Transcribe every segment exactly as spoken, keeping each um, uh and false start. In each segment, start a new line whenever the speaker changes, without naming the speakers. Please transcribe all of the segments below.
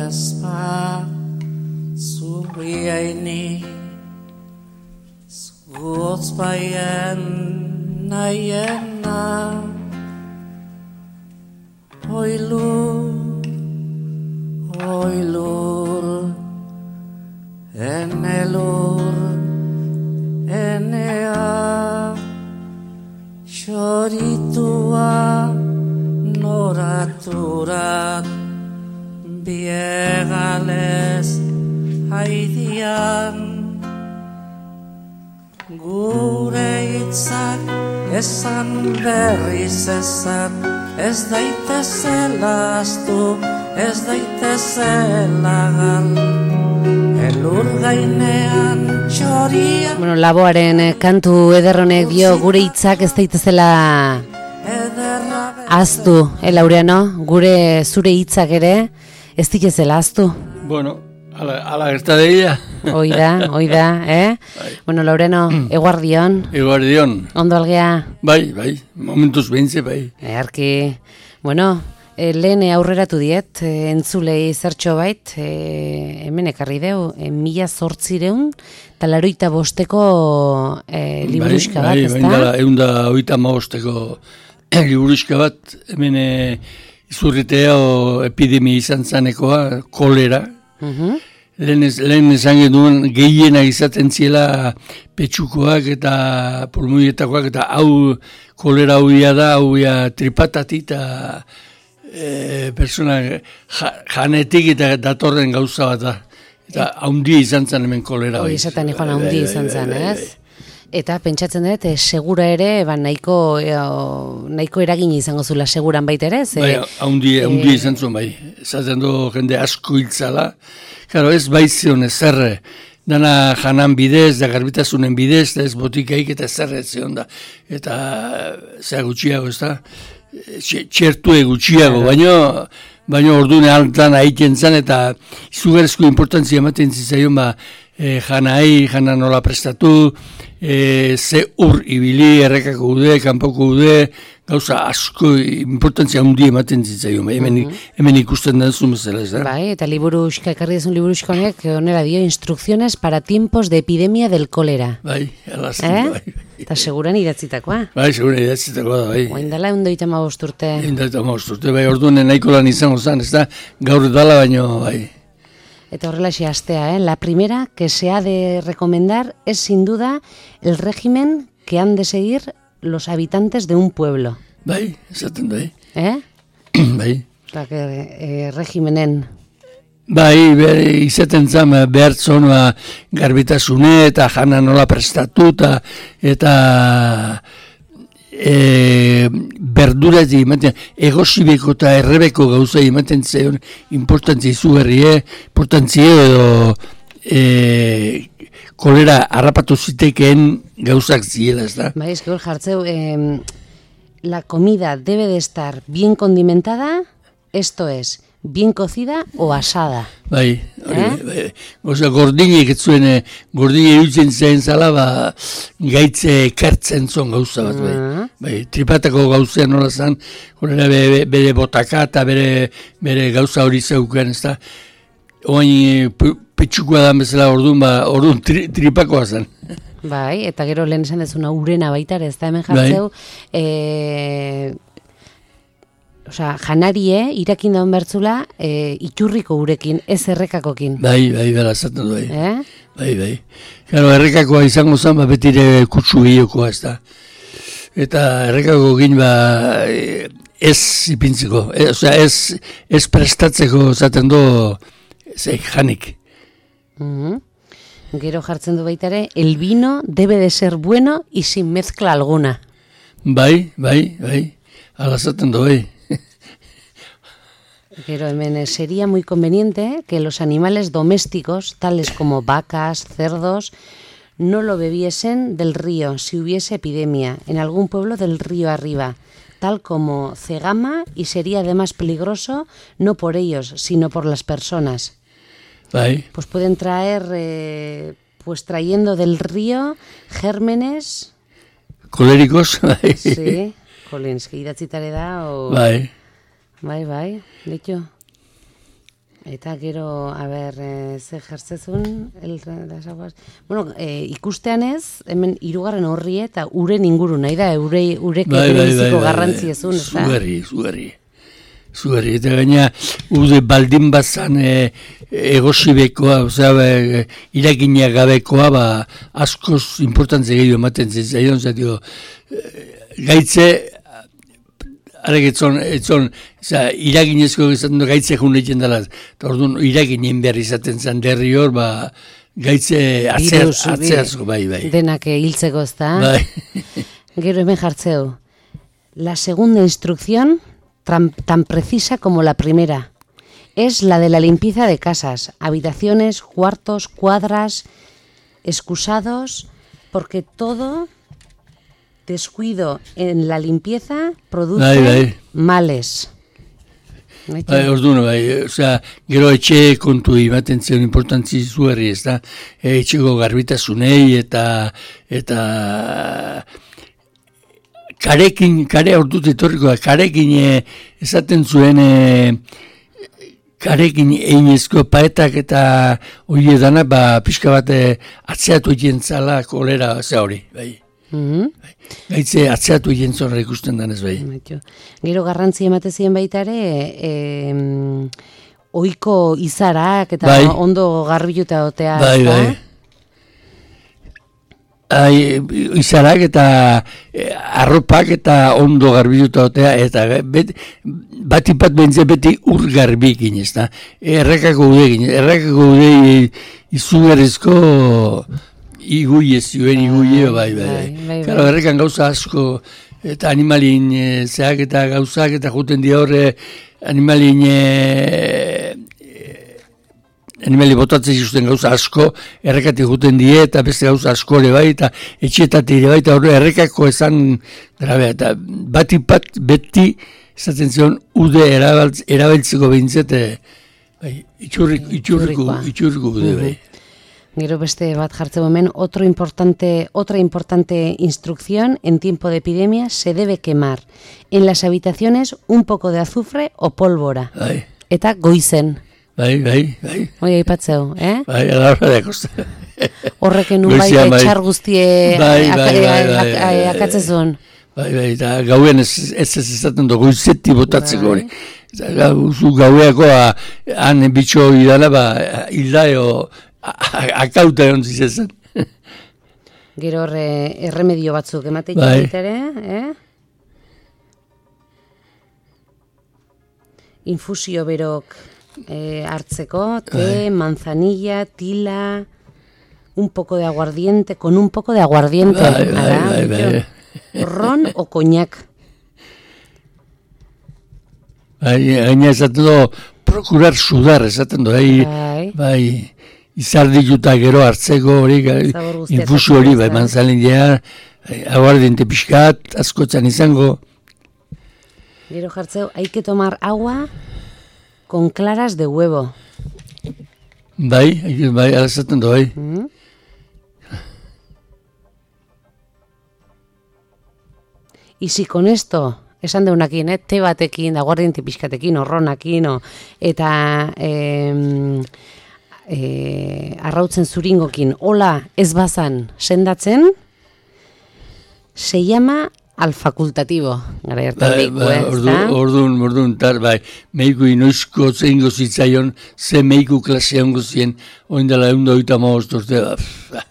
espa zuriaini zutz baien naiena oilur oilur enelur enea xoritua noraturat biegales haidian gure hitzak esan berriz esan ez daitezela astu ez daitezela gal elur gainean txoria.
Bueno, Laboaren kantu ederronek dio gure hitzak ez daitezela aztu, eh, Laureano? Gure zure hitzak ere ez ditezela aztu.
Bueno, ala, ala gertadeia.
Hoi da, hoi da, eh?
Bai.
Bueno, Laureano, eguardion.
Eguardion.
Ondo algea?
Bai, bai, momentuz behintze, bai.
Earki, bueno, e, lehen aurreratu diet, e, entzulei zertxo bait, e, hemen ekarri deu, e, mila zortzireun, talaroita bosteko e, liburuxka bat,
bai,
ez
bai,
da?
Bai, egun da oita maosteko liburuxka bat, hemen e, izurritea o epidemia izan zanekoa, kolera.
Uh-huh.
Lehen, ez, lehen esan genuen gehiena izaten ziela petxukoak eta pulmoietakoak eta hau kolera hauia da, hauia tripatati eta e, persona ja, janetik eta datorren gauza bat da. Eta haundia izan zen hemen kolera.
Hoi esaten nikoan haundia izan zen, ez? Eta pentsatzen dut, e, segura ere, ba, nahiko, e, nahiko eragin izango zula seguran baita ere? Ze,
bai, haundia, haundia izan zuen bai. Ezaten du jende asko hiltzala. Claro, ez baizion ezerre, dana janan bidez, da garbitasunen bidez, da ez botikaik eta ezerre zion da. Eta zera gutxiago, ez da? Txertue gutxiago, baino, baino ordune altan haiten zen, eta izugarrizko importantzia ematen zitzaion, ba, e, janai, jana nola prestatu, e, ze ur ibili, errekako ude, kanpoko ude, gauza asko importantzia hundi ematen zitzaion, ba, hemen, uh-huh. hemen ikusten den zumezela, ez da?
Bai, eta liburuxka, ekarri dezun liburuxka honek, onera dio, instrucciones para tiempos de epidemia del kolera.
Bai, alazten,
eh?
bai.
Eta seguran idatzitakoa.
Bai, seguran idatzitakoa da, bai.
Oain dala, undoita ma bosturte.
Undoita ma bosturte, bai, orduan nahiko lan izango zen, ez da? Gaur dala baino, bai.
Eta horrela xe astea, eh? La primera que se ha de recomendar es sin duda el régimen que han de seguir los habitantes de un pueblo.
Bai, esaten bai.
Eh?
Bai.
Eta, eh, regimenen.
Bai, ber, izaten zan behar zonua garbitasune eta jana nola prestatuta eta e, berdurati ematen, egosibeko eta errebeko gauza ematen zeion importantzia izugarrie, importantzia edo e, kolera harrapatu zitekeen gauzak ziela, ez da?
Bai, ez que hor jartzeu, eh, la comida debe de estar bien condimentada, esto es, bien cocida o asada.
Bai, hori,
eh?
bai, goza, gordinek ez zuen, gordine irutzen zen zala, ba, gaitze kertzen zon gauza bat, bai.
Uh-huh.
Bai, tripatako gauzea nola zen, horrela bere, bere botaka eta bere, bere gauza hori zeuken, ez da. Oain, petxukoa da bezala orduan, ba, orduan tri, tripakoa zen.
Bai, eta gero lehen esan dezuna urena baita ere, ez da hemen jartzeu, bai. e, Osa, janarie, irakin daun bertzula, e, iturriko urekin, ez errekakokin.
Bai, bai, bera, zaten du, bai.
Eh?
Bai, bai. Gero, errekakoa izango zen, ba, betire kutsu gehiokoa, ez da. Eta errekakokin, ba, ez ipintzeko, e, osea, ez, ez prestatzeko zaten du, zei, janik.
Uh-huh. Gero jartzen du baita ere, el vino debe de ser bueno y sin mezcla alguna.
Bai, bai, bai, ala zaten du, bai.
Pero hemen, sería muy conveniente que los animales domésticos, tales como vacas, cerdos, no lo bebiesen del río si hubiese epidemia en algún pueblo del río arriba, tal como Cegama, y sería además peligroso no por ellos, sino por las personas.
Bai.
Pues pueden traer, eh, pues trayendo del río gérmenes.
Koléricos, bai.
Sí, Collins, que idatzitare da, o...
Bai.
Bai, bai, ditu. Eta gero, a ber, e, ze jartzezun, el, las aguas... Bueno, e, ikustean ez, hemen hirugarren horri eta uren inguru nahi da, ure, ureke
bai, bai,
bereziko
bai,
garrantzi ezun, ez da?
Zugarri, zugarri. Zugarri, eta gaina, ude baldin bazan e, egosibekoa, osea, e, irakina gabekoa, ba, askoz importantzia gehiago ematen zitzaion, zatio, e, gaitze, arek etzon, etzon, iraginezko izaten du gaitze jun egiten dela, eta orduan iraginen behar izaten zen derri hor, ba, gaitze atzeazko, bai, bai.
Denak hiltzeko ez da.
Bai.
Gero hemen jartzeu. La segunda instrucción, tan, tan precisa como la primera, es la de la limpieza de casas, habitaciones, cuartos, cuadras, excusados, porque todo... descuido en la limpieza produce bai, bai. males.
Bai, orduan, bai, osea, gero etxe kontu ematen zion importantzi zuherri, ez da, etxeko garbitasunei eta eta karekin, kare ordut etorriko da, karekin esaten zuen e, karekin einezko paetak eta hori edana, ba, pixka bat atzeatu egin zala kolera, ze hori, bai.
Mm-hmm.
Gaitze atzeatu egin zorra ikusten danez bai.
Gero garrantzi emate ziren baita ere, e, oiko izarak eta bai. Ondo garbiluta otea.
Bai, bai. Ai, izarak eta e, arropak eta ondo garbiluta otea, eta bet, bat ipat bentze beti ur garbikin, ez da. Errekako udekin, errekako udei izugarrizko... Iguie zioen, iguie, bai, bai, bai. Karo, errekan gauza asko, eta animalin e, zeak eta gauzak, eta juten di horre, animalin, e, animali botatzen zizuten gauza asko, errekati juten die, eta beste gauza asko ere bai, eta etxetate ere bai, eta horre errekako esan, grabe, eta batipat beti, esaten zion, ude erabiltzeko behintzete, bai, itxurriko, itxurriko, itxurriko ude, bai.
Gero beste bat jartzeu hemen, otro importante, otra importante instrucción en tiempo de epidemia, se debe quemar en las habitaciones un poco de azufre o pólvora.
Bai.
Eta goizen.
Bai, bai, bai.
Hoi aipatzeu, eh?
Bai, alarra da kosta.
Horreken un bai etxar guztie akatzezun.
Bai, bai, eta gauen ez ez ezaten du, goizetti botatzeko hori. Zu gaueako han bitxo idala, ba, hildaio... akauta egon zizezan.
Gero horre erremedio batzuk emateik bai. Ere, eh? Infusio berok eh, hartzeko, te, bai. Manzanilla, tila, un poco de aguardiente, con un poco de aguardiente.
Bai, bai, bai, bai.
Ron o coñac.
Bai, gaina esaten do, procurar sudar, esaten do, bai, bai. Izardituta gero hartzeko hori, infusio hori, bai, manzanilla, aguardiente pixkat, askotzan izango.
Gero jartzeu, hay que tomar agua con claras de huevo.
Bai, bai, alazaten du, bai. Mm-hmm.
Y si con esto, esan deunakin, eh, te batekin, aguardiente pixkatekin, orronakin, o, eta... Eh, E, arrautzen zuringokin, hola ez bazan sendatzen, se llama al facultativo. Gara hartan
bai,
meiku,
bai,
eh?
Orduan, orduan, orduan, tar, bai, meiku inoizko zeingo zitzaion, ze meiku klasea ongo zien, oindela egun doita maostorte, ba,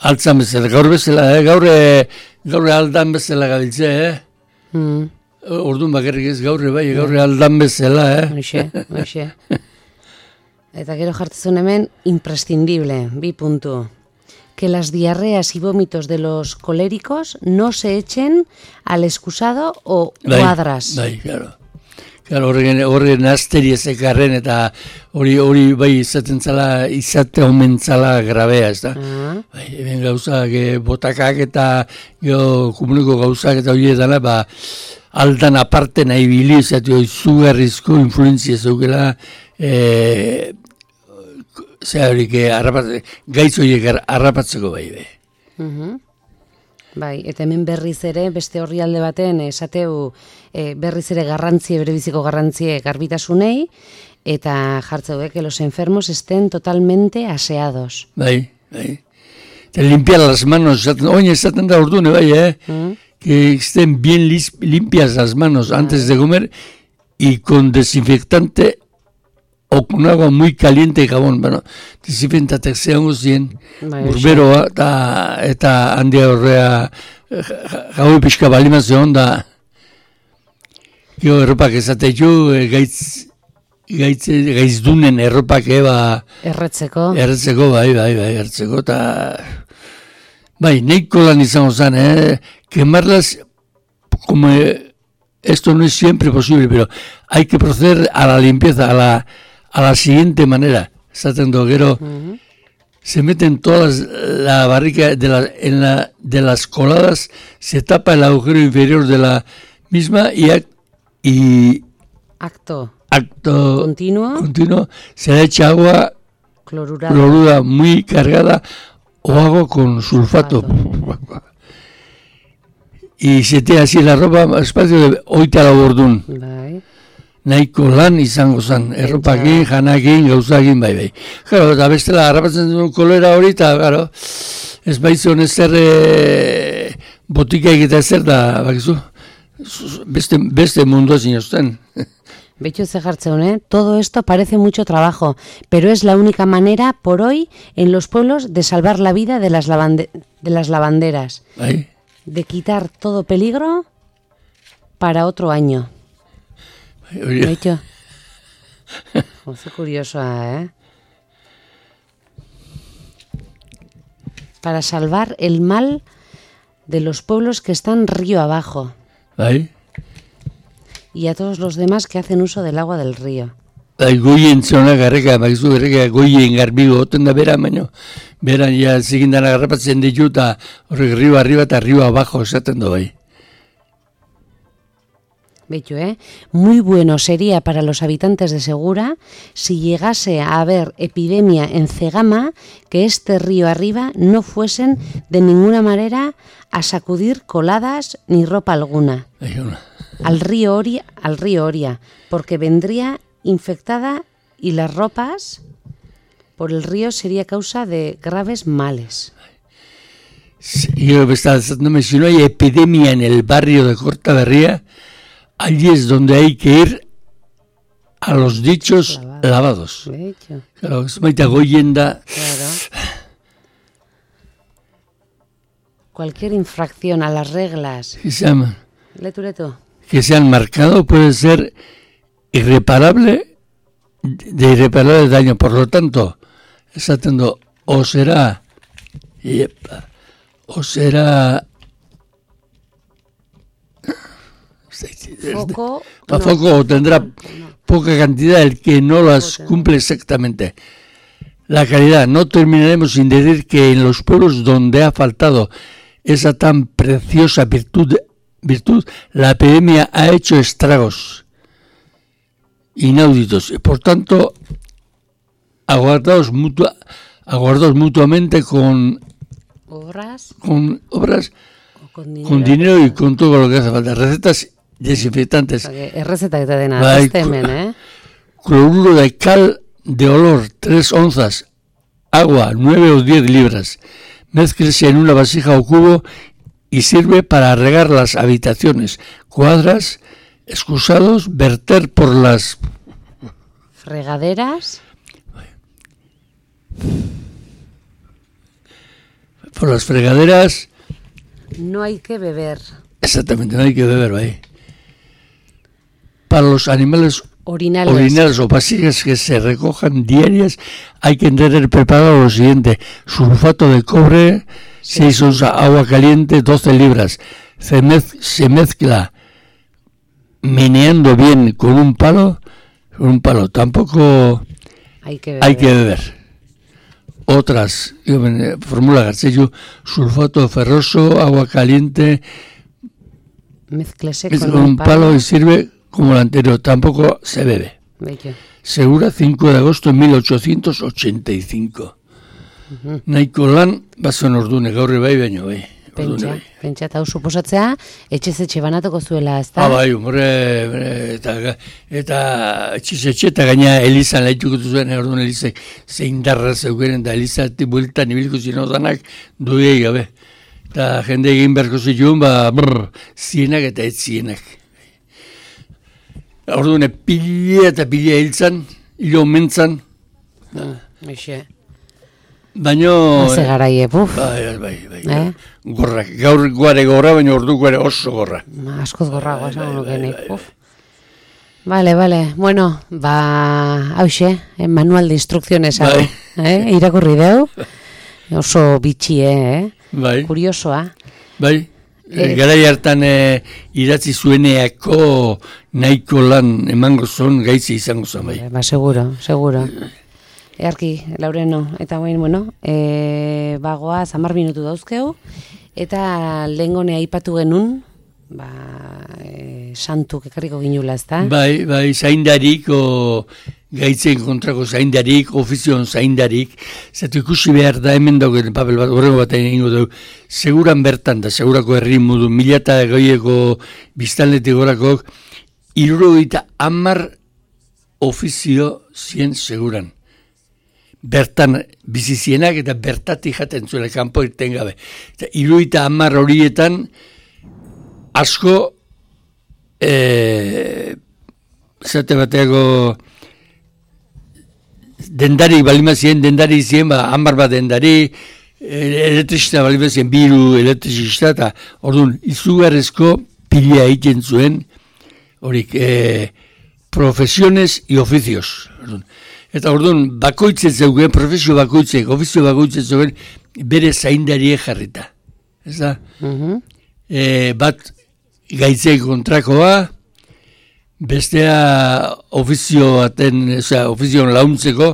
altzan bezala, gaur bezala, eh? gaur, gaur aldan bezala gabiltze, eh? Mm. Orduan bakarrik ez gaurre, bai, gaur aldan bezala, eh?
Oixe, oixe. Eta gero jartzezun hemen, imprescindible, bi puntu. Que las diarreas y vómitos de los coléricos no se echen al excusado o
bai,
cuadras.
Bai, claro. Claro, horren, horren asteri ezekarren eta hori hori bai izaten zala, izate omentzala grabea, ez da? Uh-huh. Bai, eben gauzak, botakak eta jo, komuniko gauzak eta hori edana, ba, aldan aparte nahi bili, zatu izugarrizko influenzia zeukela, eh, zera horik, gaitz horiek harrapatzeko bai, bai.
Uh-huh. Bai, eta hemen berriz ere, beste horri alde baten, esateu e, berriz ere garrantzie, bere biziko garrantzie garbitasunei, eta jartzeuek que los enfermos estén totalmente aseados.
Bai, bai. Te limpiar las manos, oye, esaten da ordune, bai, eh? Mm. Que estén bien lis, limpias las manos antes de comer y con desinfectante o con agua muy caliente y jabón. Bueno, desinfectanteak zehango zien, burberoa eta, eta handia horrea jaue pixka balima zeon da. Gero erropak ezatetu, gaitz, gaitz, gaizdunen erropak eba...
Erretzeko.
Erretzeko, bai, bai, bai, erretzeko, eta... Bai, neiko lan izango zen, eh? Quemarlas como... Esto no es siempre posible, pero hay que proceder a la limpieza, a la, a la siguiente manera. Esaten do, gero... Uh-huh. Se meten todas la barrica de, la, en la, de las coladas, se tapa el agujero inferior de la misma y... y
acto,
acto
continuo,
continuo, se le echa agua
clorurada,
clorura muy cargada o agua con sulfato. sulfato. Y se tira así la ropa espacio de oita la bordun. Bai. Nahiko lan izango zen, erropakin, janakin, gauzakin, bai, bai. Claro, eta bestela, harrapatzen duen kolera hori, eta, claro, ez baizion ezer e, botikaik eta ezer da, bakizu, beste, beste mundu zinozten.
Betxu ze jartzeun, ¿eh? Todo esto parece mucho trabajo, pero es la única manera, por hoy, en los pueblos, de salvar la vida de las, lavande- de las lavanderas.
¿Ay?
De quitar todo peligro para otro año. Betxu. Oso curiosoa, ¿eh? Para salvar el mal de los pueblos que están río abajo.
¿Ay?
Y a todos los demás que hacen uso del agua del río.
Bai, goien zona garreka, bakizu garreka goien garbigo, oten da bera, baino, beran ja zigindan agarrapatzen ditu, eta horrek rio arriba eta rio abajo esaten do, bai.
Bello, ¿eh? Muy bueno sería para los habitantes de Segura si llegase a haber epidemia en Cegama que este río arriba no fuesen de ninguna manera a sacudir coladas ni ropa alguna al río Oria, al río Oria, porque vendría infectada y las ropas por el río sería causa de graves males.
Yo me estaba diciendo, si no hay epidemia en el barrio de Cortaberría, allí es donde hay que ir a los dichos Lavado. lavados. De hecho. Claro, es maita goyenda.
Claro. Cualquier infracción a las reglas.
¿Qué se llama?
Letu, letu.
Que se han marcado puede ser irreparable, de irreparable daño. Por lo tanto, está teniendo, o será, yepa, o será...
Foco,
no,
foco
o tendrá no. poca cantidad el que no las cumple exactamente. La calidad, no terminaremos sin decir que en los pueblos donde ha faltado esa tan preciosa virtud, virtud la epidemia ha hecho estragos inauditos. Y por tanto, aguardaos, mutua, aguardaos mutuamente con
obras,
con, obras
con, dinero,
con dinero y con todo lo que hace falta. Recetas desinfectantes.
Es receta que te den nada, es temen, ¿eh?
Cloruro de cal de olor, tres onzas. Agua, nueve o diez libras. Mézclese en una vasija o cubo y sirve para regar las habitaciones, cuadras, excusados, verter por las...
fregaderas.
Por las fregaderas...
No hay que beber.
Exactamente, no hay que beber, ahí. Para los animales
orinales.
orinales o vasijas que se recojan diarias, hay que tener preparado lo siguiente: sulfato de cobre, sí. seis onzas, agua caliente, doce libras. Se, mez, se mezcla meneando bien con un palo, con un palo. Tampoco
hay que beber.
Hay que beber. Otras, yo, fórmula Garcello, sulfato ferroso, agua caliente,
mezclese
con,
con
un palo, palo y sirve como el anterior. Tampoco se bebe.
Bello.
Segura, cinco de agosto de mil ochocientos ochenta y cinco. Uh-huh. Nahiko lan, bazen ordune, gaur bai baino bai.
Pentsa, pentsa, eta hau suposatzea, etxez-etxe banatuko zuela, ez da?
Ah, bai, humore, eta, eta etxez-etxe, eta gaina Elizan lehituko zuen, orduan Elizek zein darra zeukeren, eta Elizati bueltan ibilko zinen odanak duei gabe. Eta jende egin beharko zituen, ba, brr, zienak eta ez zienak. Orduan, pile eta pile hiltzan, hilo mentzan.
Eixe.
Baina...
Haze garaie, buf.
Bai, bai, bai.
Eh?
Gorrak, gaur guare gorra, baina orduko ere oso gorra.
Askoz gorragoa, esan nukenik, buf. Vale, vale. Bueno, ba, hauxe, eh, manual de instrucciones hau,
bai.
eh? Irakurri deu. Oso bitxie, eh?
Bai.
Kuriosoa.
Bai. Eh. Garai hartan eh, idatzi zueneako nahiko lan emango zon gaitzi izango zen, bai.
Ba, seguro, seguro. Earki, Laureno, eta guain, bueno, e, bagoa, zamar minutu dauzkeu, eta lehengone aipatu genuen, ba, e, santuk ekarriko ginula, ez da?
Bai, bai, zaindarik, o gaitzen kontrako zaindarik, ofizion zaindarik, zatu ikusi behar da hemen dauken papel bat, horrego bat egingo dugu, seguran bertan da, segurako herri modu, mila eta goieko biztanletik horakok, hirurogeita hamar ofizio zien seguran. Bertan bizizienak eta bertatik jaten zuela kanpo irten gabe. Eta hirurogeita hamar horietan asko e, zate bateako dendari balima ziren, dendari ziren, ba, hamar bat dendari, elektrizista balima ziren, biru elektrizista, eta orduan, izugarrezko pila egiten zuen, horik, e, profesiones y oficios. Orduan. Eta orduan, bakoitzen zeugen, profesio bakoitzek, ofizio bakoitzen zeugen, bere zaindarie jarrita. Ez da?
Uh-huh.
E, bat gaitzei kontrakoa, bestea ofizio baten, oza, ofizioan launtzeko,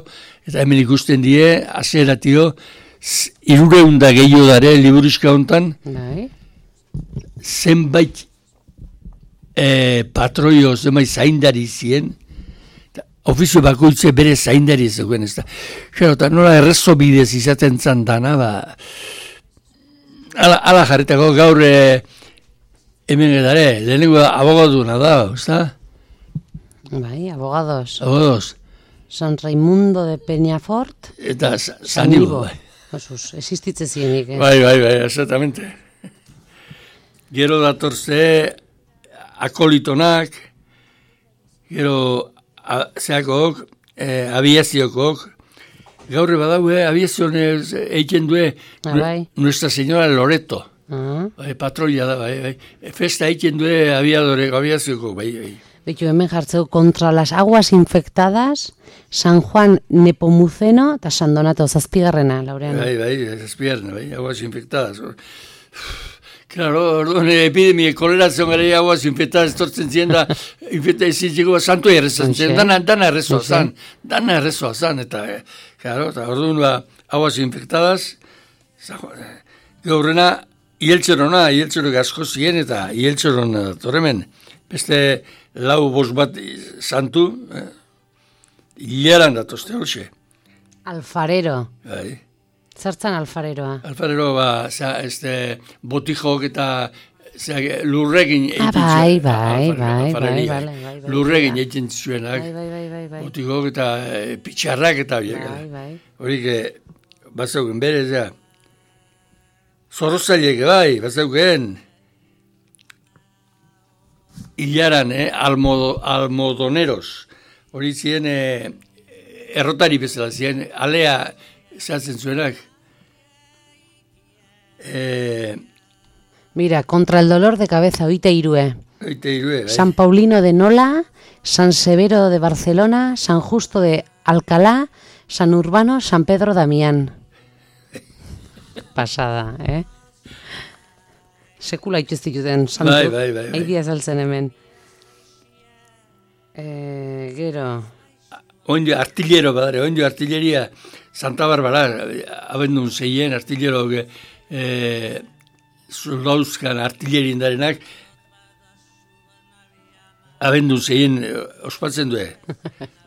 eta hemen ikusten die, aseratio, irureunda gehiago dare, liburuska hontan,
Bai.
zenbait e, patroio, zenbait zaindari zien, ofizio bakoitze bere zaindari zegoen, ez da. Jero, eta nola errezo bidez izaten zan dana, ba, ala, ala jarritako gaur e, hemen edare, lehenengo abogaduna da, ez da?
Bai, abogados.
Abogados.
San Raimundo de Peñafort.
Eta Sanibo, bai.
Osus, existitze zienik, eh?
Bai, bai, bai, exactamente. Gero datorze akolitonak, gero a, zeakok, eh, aviaziokok, gaurre badaue, aviazioan eiken due,
Ah, bai.
Nuestra Señora Loreto,
Ah.
bai, patroia da, bai, bai. Festa eiken due aviadore, aviaziokok, bai, bai.
Betu, hemen jartzeu contra las aguas infectadas, San Juan Nepomuceno eta San Donato zazpigarrena, Laureano.
Bai, bai, zazpigarrena, bai, aguas infectadas. Claro, orduan epidemia, kolerazion gara aguas infectadas tortzen ziren da, infecta izitxeko santu errezan ziren, dana, dana errezoa zan, dana errezoa zan, eta, claro, eta orduan ba, aguas infectadas, gaurrena, ieltxerona, ieltxerok asko ziren, eta ieltxerona torremen, beste lau bost bat santu, eh, hilaran datozte hoxe.
Alfarero.
Bai.
Zertzan alfareroa?
Alfarero, ba, zera, este, botijok eta zera, lurregin
Ah, bai, bai, bai, bai, bai, bai,
lurregin egiten zuenak,
Bai, bai, bai, bai, bai.
botijok eta e, pitxarrak eta biek.
Bai, bai.
Horik, e, bazauken bere, zera, zorrozailek, bai, bazauken, hilaran, eh, almodo, almodoneros, hori ziren, e, errotari bezala ziren, alea, zehatzen zuenak. Eh,
Mira, contra el dolor de cabeza, oite irue.
oite irue, bai.
San Paulino de Nola, San Severo de Barcelona, San Justo de Alcalá, San Urbano, San Pedro Damián. Pasada, eh? Sekula ituztituten santu.
Bai, bai, bai, bai.
Aidia saltzen hemen. Eh, gero...
Oindio artillero, badare, oindio artilleria, Santa Barbara, abendun zeien artillero, eh, soldauzkan artillerien darenak, abendun zeien ospatzen due.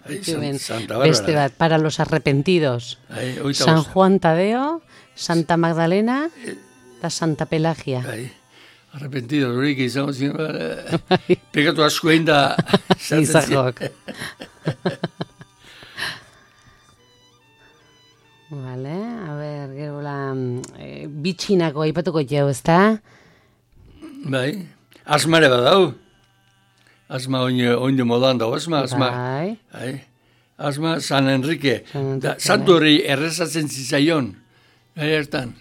Ai, San, Santa Barbara.
Beste bat, para los arrepentidos.
Ai, oita
San
bosta.
Juan Tadeo, Santa Magdalena, eta Santa Pelagia.
Bai, arrepentido, horik izango ziren, pegatu asko egin da...
Izahok. Vale, a ver, gero la... E, bitxinako aipatuko jau, ezta?
Bai, asmare bat dau. Asma oinde modan dago, asma, asma.
Bai.
Bai. Asma, San Enrique.
San
Da,
Enrique,
santu hori errezatzen zizaion. Gai hartan.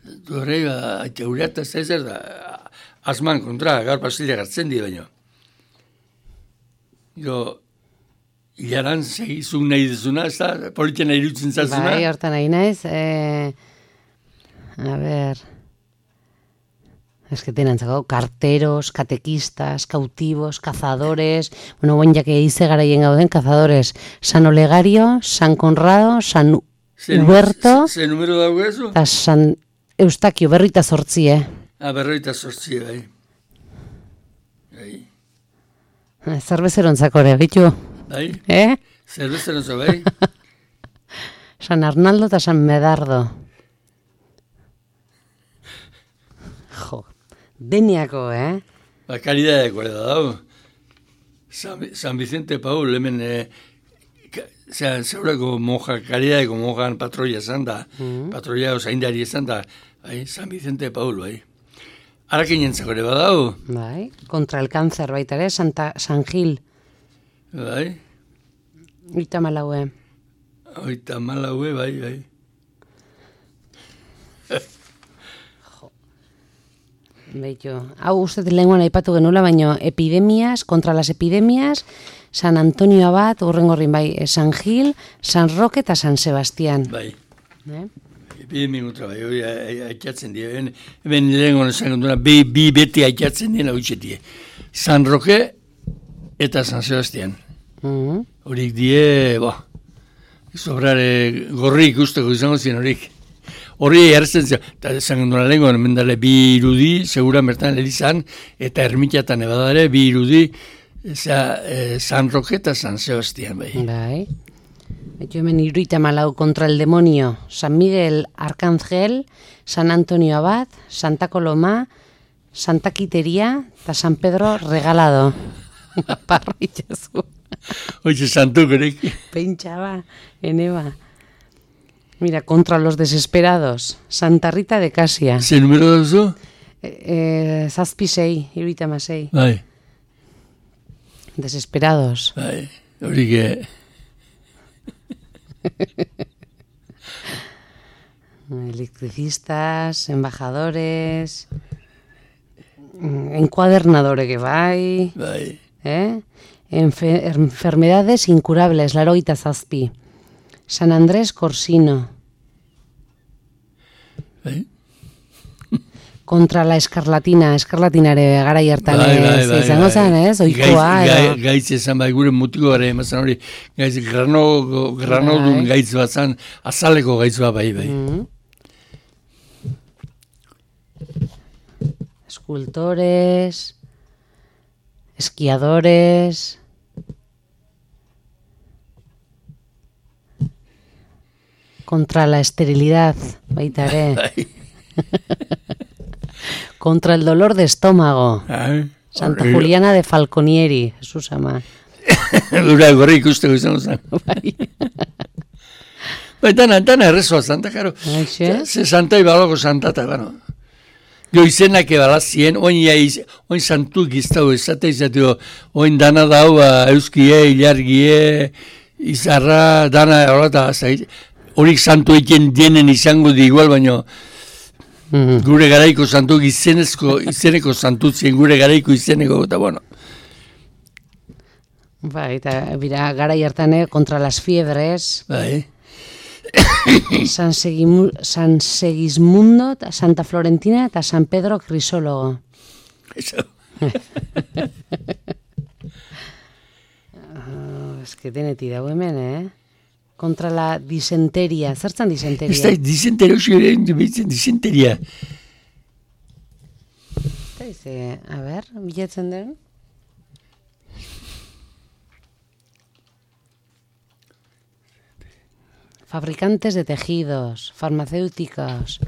Santu hori, atxaureata zezer da. Asman kontra, gaur pasila gartzen di baino. Jo, hilaran segizun nahi duzuna, ez da, politiena irutzen zazuna.
Bai, hortan nahi naiz. Eh, a ver... Es que tienen carteros, catequistas, cautivos, cazadores. Bueno, buen ya que hice garaien gauden, cazadores. San Olegario, San Conrado, San Huberto.
Ze numero dago eso?
Eta San Eustaquio, berroita zortzi, eh?
Ah, berroita zortzi, bai. Bai.
Zerbezerontzako ere, bitu?
Bai?
Eh?
Zerbezerontza, bai?
San Arnaldo eta San Medardo. Jo, deniako, eh?
Ba, karidadeko da dago. San, San Vicente Paul, hemen, eh, zeurako monja, karidadeko monjan patroia esan da, mm. patroia osaindari esan da, bai, San Vicente Paul, bai. Arakin jentzako ere badago.
Bai, kontra el cáncer baita ere, Santa, San Gil.
Bai.
Oita malaue.
Oita malaue, bai, bai.
Beitu, hau uste lenguan aipatu genula, baino epidemias, kontra las epidemias, San Antonio Abad, urrengorrin bai, San Gil, San Roque eta San Sebastián.
Bai.
Eh?
Epidemia kontra bai, hori aikatzen die. Hemen lehenko esan duna, bi, bi beti aikatzen dien hau itxetie. San Roque eta San Sebastián.
Mm-hmm.
Horik die, bo, sobrare gorri ikusteko izango zien horik. Horri erretzen zio, eta esan duna lehenko, mendale bi irudi, segura mertan elizan, eta ermitatan ebadare, bi irudi, eza, eh, San Roque eta San Sebastián, bai.
Bai. Beitu hemen iruita malau kontra el demonio, San Miguel Arcángel, San Antonio Abad, Santa Coloma, Santa Quiteria, eta San Pedro Regalado. Parritxazu.
Oixe, santukorek.
Pentsa ene ba. Mira, contra los desesperados, Santa Rita de Casia.
Ze numero dauzu?
Eh, eh, zazpi sei, iruita masei.
Bai.
Desesperados.
Bai, horik e...
Electricistas, embajadores, encuadernadores que bai.
Bai.
Eh? Enfe enfermedades incurables, laroita zazpi. San Andrés Corsino.
Bai.
Contra la escarlatina, eskarlatinare gara hartan
bai, bai,
ez,
bai,
izango
bai.
zen, ez, oikoa.
Gaitz, gaitz esan bai, gure mutiko gara emazan hori, gaitz grano, granodun
Bai.
gaitz bat zan, azaleko gaitz bat bai, bai.
Mm. Escultores, esquiadores, contra la esterilidad, baita ere.
Bai.
Contra el dolor de estómago,
Bai.
Santa
Horri-
Juliana de Falconieri, Jesus ama.
Gura gorri ikusteko izango zen.
Bai.
Bai, dana, dana errezoa santa, karo.
Aixe?
Ze santa ibaloko santa, eta, bueno. Jo izenak ebalazien, oin, jaiz, oin santu giztau ezate izateo, oin dana dau, ba, euskie, ilargie, izarra, dana, horata, horik santu eken dienen izango di igual, baino,
Mm.
gure garaiko santu izenezko, izeneko santutzien gure garaiko izeneko, eta bueno.
Bai, eta bira, gara hartane, contra las fiebres,
Bai,
San, Segimu, San Segismundo, ta Santa Florentina eta San Pedro Crisólogo.
eso.
Oh, es que deneti dago hemen, eh? Contra la disenteria. Zertzan
Ez da,
disenteria?
disenteria, usi disenteria.
Eta dice, a ver, bilatzen den? Fabricantes de tejidos, farmacéuticos,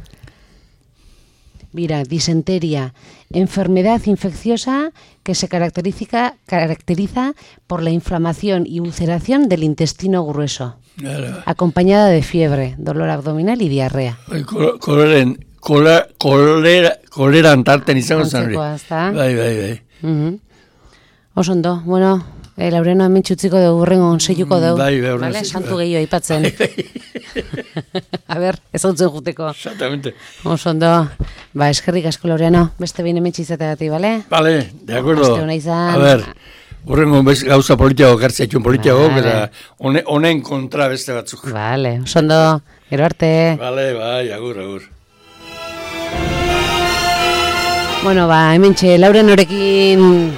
Mira, disenteria, enfermedad infecciosa que se caracteriza, caracteriza por la inflamación y ulceración del intestino grueso,
Claro.
acompañada de fiebre, dolor abdominal y diarrea.
Bai, kol- koleren, kola, kolera, koleran tarten izango zen hori.
Antzekoa, ezta?
Bai, bai, bai.
Mhm. Oso ondo, bueno, eh, Laureno hemen txutziko dugu, urrengo seiuko dugu.
Bai, bai, urrengo
Vale,
seiuko.
santu gehiago aipatzen. A ber, ez hautzen juteko.
Exactamente.
Oso ondo, ba, eskerrik asko Laureno, beste behin hemen txizategatik, bale?
Vale, de acuerdo.
Aste ona izan.
A ver, urrengo bez gauza politiago gartzea itxun politiago,
Vale.
eta hone- honen kontra beste batzuk.
Vale, oso ondo, gero arte.
Vale, bai, agur, agur.
Bueno, ba, hemen txe, Laurenorekin